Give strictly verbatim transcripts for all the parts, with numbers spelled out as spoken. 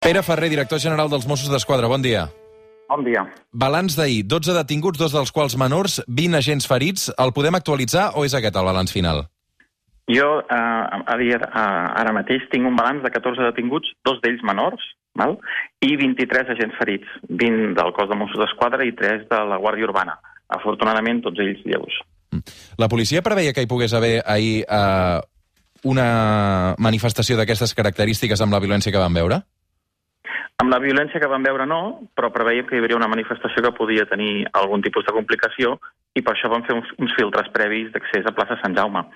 Pere Ferrer, director general dels Mossos d'Esquadra, bon dia. Bon dia. Balanç d'ahir, dotze detinguts, dos dels quals menors, vint agents ferits. El podem actualitzar o és aquest el balanç final? Jo eh, a dia, eh, ara mateix tinc un balanç de catorze detinguts, dos d'ells menors, val? I vint-i-tres agents ferits, vint del cos de Mossos d'Esquadra i tres de la Guàrdia Urbana. Afortunadament, tots ells lleus. La policia preveia que hi pogués haver ahir eh, una manifestació d'aquestes característiques amb la violència que vam veure? Amb la violència que vam veure no, però preveiem que hi hauria una manifestació que podia tenir algun tipus de complicació i per això vam fer uns, uns filtres previs d'accés a plaça Sant Jaume.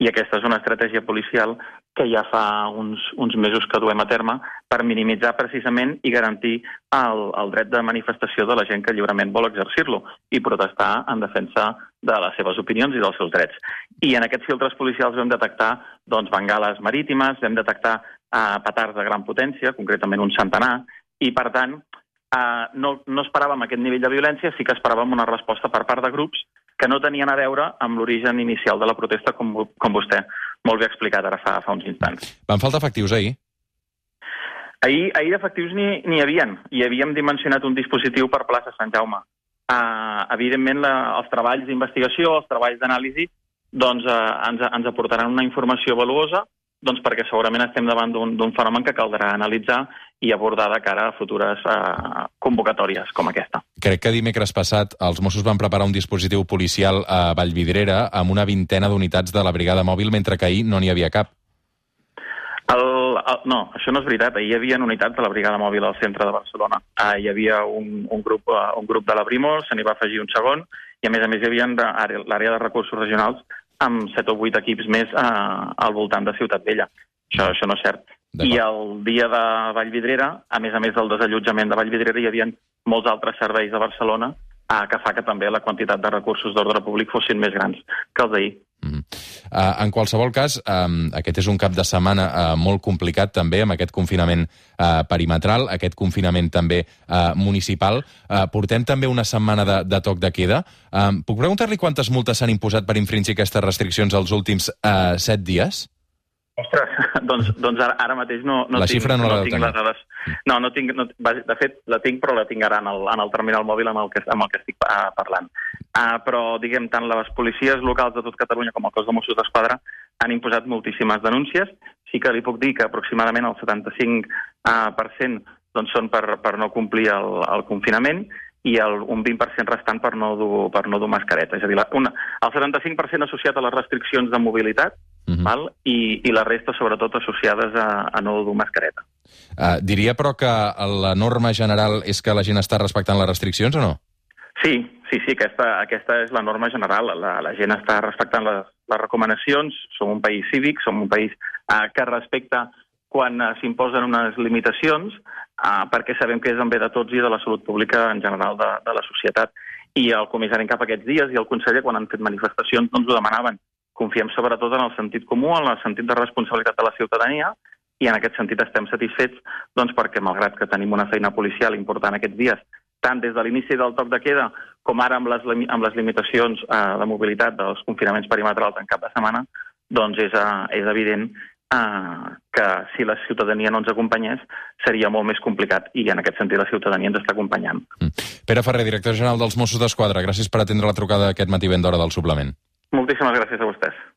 I aquesta és una estratègia policial que ja fa uns, uns mesos que duem a terme per minimitzar precisament i garantir el, el dret de manifestació de la gent que lliurement vol exercir-lo i protestar en defensa de les seves opinions i dels seus drets. I en aquests filtres policials vam detectar doncs, bengales marítimes, vam detectar eh, petards de gran potència, concretament un centenar, i per tant eh, no, no esperàvem aquest nivell de violència, sí que esperàvem una resposta per part de grups que no tenien a veure amb l'origen inicial de la protesta, com, com vostè molt bé ha explicat ara fa, fa uns instants. Van faltar efectius ahir? Ahir, ahir d'efectius n'hi hi havien, i havíem dimensionat un dispositiu per plaça Sant Jaume. Uh, evidentment, la, els treballs d'investigació, els treballs d'anàlisi, doncs uh, ens, ens aportaran una informació valuosa, doncs perquè segurament estem davant d'un fenomen que caldrà analitzar i abordar de cara a futures uh, convocatòries com aquesta. Crec que dimecres passat els Mossos van preparar un dispositiu policial a Vallvidrera amb una vintena d'unitats de la brigada mòbil, mentre que ahir no n'hi havia cap. El, el, no, això no és veritat. Ahir hi havia unitats de la brigada mòbil al centre de Barcelona. Uh, hi havia un, un, grup, uh, un grup de la Brimo, se n'hi va afegir un segon, i a més a més hi havia l'àrea de recursos regionals amb set o vuit equips més eh, al voltant de Ciutat Vella. Això, això no és cert. I el dia de Vallvidrera, a més a més del desallotjament de Vallvidrera, hi havia molts altres serveis de Barcelona eh, que fa que també la quantitat de recursos d'ordre públic fossin més grans que els d'ahir. Mm. Uh, en qualsevol cas, um, aquest és un cap de setmana uh, molt complicat també, amb aquest confinament uh, perimetral, aquest confinament també uh, municipal. Uh, portem també una setmana de, de toc de queda. Um, puc preguntar-li quantes multes s'han imposat per infringir aquestes restriccions els últims uh, set dies? Ostres, doncs, doncs ara, ara mateix no, no la tinc, xifra no, no la tinc les dades. No, no tinc, no, de fet, la tinc, però la tinc ara en el, en el terminal mòbil amb el que, amb el que estic uh, parlant. Uh, però, diguem, tant les policies locals de tot Catalunya com el cos de Mossos d'Esquadra han imposat moltíssimes denúncies. Sí que li puc dir que aproximadament el setanta-cinc per cent doncs, són per, per no complir el, el confinament i el, un vint per cent restant per no dur, per no dur mascareta. És a dir, la, una, el setanta-cinc per cent associat a les restriccions de mobilitat, uh-huh. val? I, i la resta, sobretot, associades a, a no dur mascareta. Uh, diria, però, que la norma general és que la gent està respectant les restriccions o no? Sí, sí, sí, aquesta, aquesta és la norma general. La, la gent està respectant les, les recomanacions. Som un país cívic, som un país uh, que respecta quan uh, s'imposen unes limitacions, uh, perquè sabem que és en bé de tots i de la salut pública en general de, de la societat. I el comissari en cap aquests dies i el conseller, quan han fet manifestacions, no ens ho demanaven. Confiem sobretot en el sentit comú, en el sentit de responsabilitat de la ciutadania, i en aquest sentit estem satisfets doncs, perquè, malgrat que tenim una feina policial important aquests dies, tant des de l'inici del toc de queda com ara amb les, amb les limitacions eh, de mobilitat dels confinaments perimetrals en cap de setmana, doncs és, uh, és evident uh, que si la ciutadania no ens acompanyés seria molt més complicat i en aquest sentit la ciutadania ens està acompanyant. Mm. Pere Ferrer, director general dels Mossos d'Esquadra, gràcies per atendre la trucada aquest matí ben d'hora del suplement. Moltíssimes gràcies a vostès.